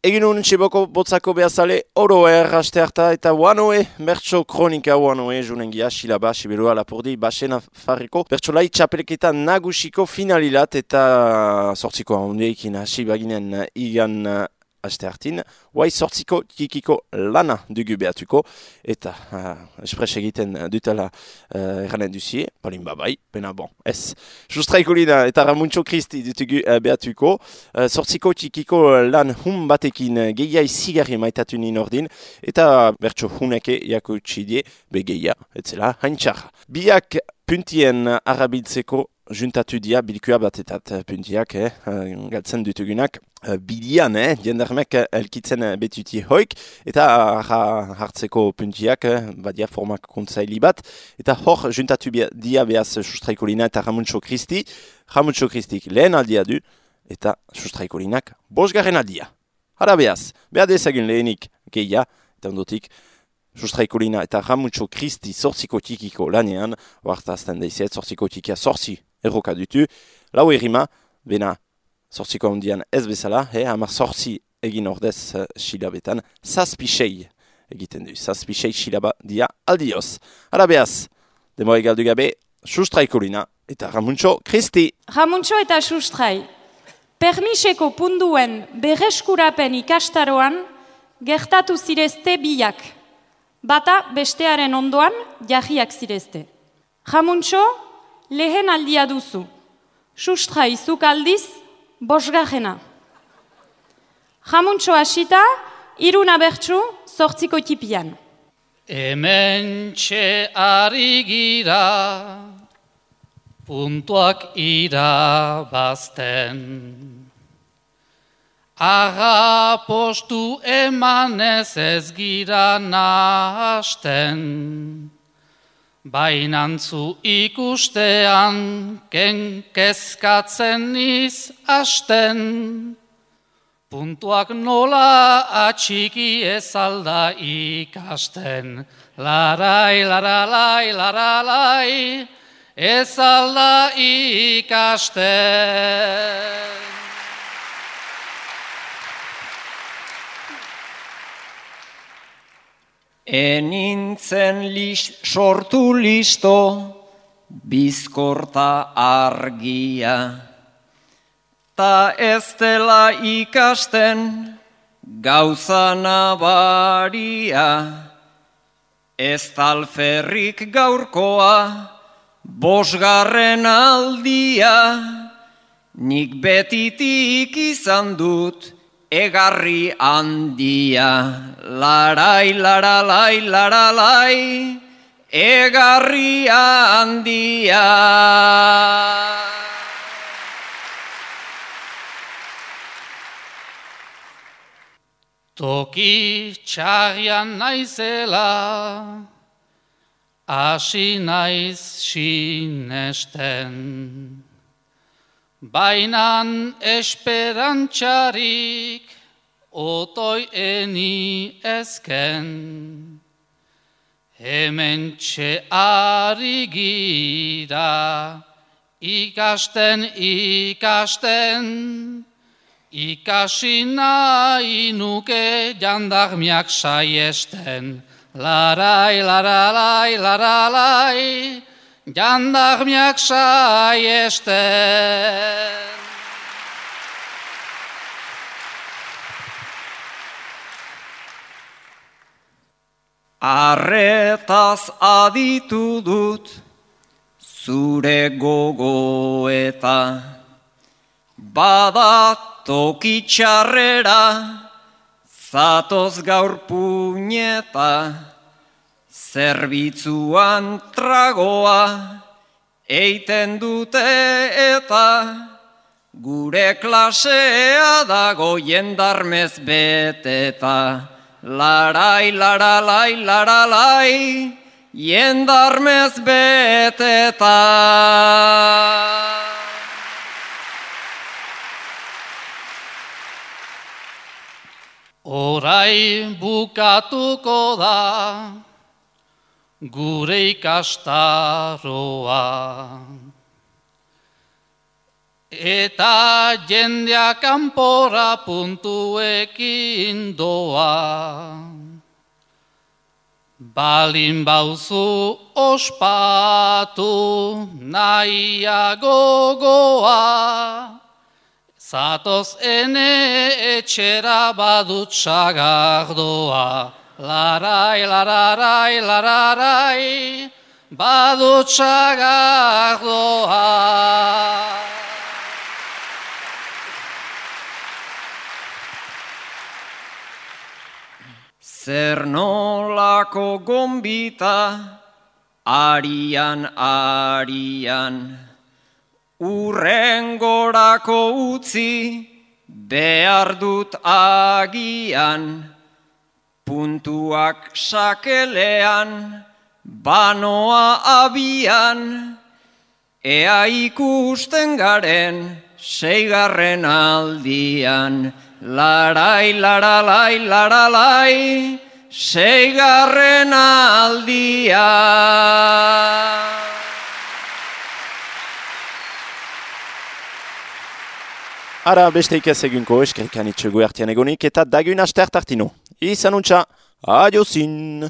Egin honen txiboko botzako behazale oro aste harta eta Wanoe, bertso kronika Wanoe, junengia, Xilaba, Siberua, Lapurdi, Baxena, Farriko, bertso lai txapelketa nagusiko finalilat eta sortziko handeikin hasi baginen igan aste hartin, guai sortziko kikiko lana dugu behatuko eta espres egiten dutela erranen duzie, palin babai, pena bon, ez. Sustraikolina eta Ramuntxo Kristi dutugu behatuko, sortziko kikiko lan batekin gehiai zigarri maitatu nien ordin eta bertso huneke jako txidie begeia, etzela haintxarra. Biak puntien arabiltzeko juntatu dia bilkua batetat puntiak, galtzen dutugunak. Bilian, jendarmek elkitzen betuti hoik, eta hartzeko puntiak, badia formak kontzaili bat, eta hor juntatu dia behaz Sustraikolina eta Ramuntxo Kristi. Ramuntxo Kristik lehen aldia du, eta Sustraikolinak bosgarren aldia. Hara behaz, behar dezagun lehenik geia, eta ondotik, Sustraikolina eta Ramuntxo Kristi sortziko tikiko lanean, oartazten daizet, sortziko tikia sortzi erroka dutu, lau errima, bena sortziko handian ez bezala, hamar sortzi egin ordez xilabetan, zazpisei egiten du, zazpisei xilaba dia aldioz. Hara behaz, demora galdu gabe, Sustraikolina eta Ramuntxo Kristi. Ramuntxo eta Sustrai, permiseko punduen berreskurapen ikastaroan gertatu zirezte biak, bata bestearen ondoan jarriak zirezte. Ramuntxo lehen aldia duzu, Sustrai zuk aldiz bosgarrena. Ramuntxo hasita, iruna bertsu sortziko tipian. Hemen txe ari gira, puntuak irabazten. Aga postu emanez ez gira nahasten. Bainantzu ikustean kezkatzen niz hasten. Puntuak nola atxiki ez alda ikasten. Larai, laralai, laralai, ez alda ikasten. Enintzen sortu listo, bizkorta argia, ta ez dela ikasten gauza nabaria, ez talferrik gaurkoa, bosgarren aldia, nik betitik izan dut, egarri handia, larai, laralai, laralai, egarri handia. Toki txarrian naizela, hasi naiz sinesten. Bainan esperantxarik otoi eni ezken. Hemen txe ari gira, ikasten, ikasi nahi nuke jandarmiak saiesten. Larai, laralai, laralai, jandarmiak saiesten. Arretaz aditu dut zure gogoeta, bada toki txarrera, zatoz gaur puñeta, zerbitzuan tragoa eiten dute eta gure klasea dago jendarmez beteta. Larai, laralai, laralai, jendarmez beteta. Orai bukatuko da, gure ikastaroa. Eta jendea kanpora puntuekin doa. Balin bauzu ospatu nahiago goa, zatoz ene etxera badut sagardoa. Larai, lararai, lararai, badut sagardoa. Zer nolako gombita, arian, urrengorako utzi, behar dut agian, puntuak sakelean, banoa abian, ea ikusten garen, 6. aldian. Larai, laralai, laralai, 6. aldia. Ara besteik ez egunko eskerrik anitxego ertian egonik eta dagun aster tartino. Izan untxa, adiozin!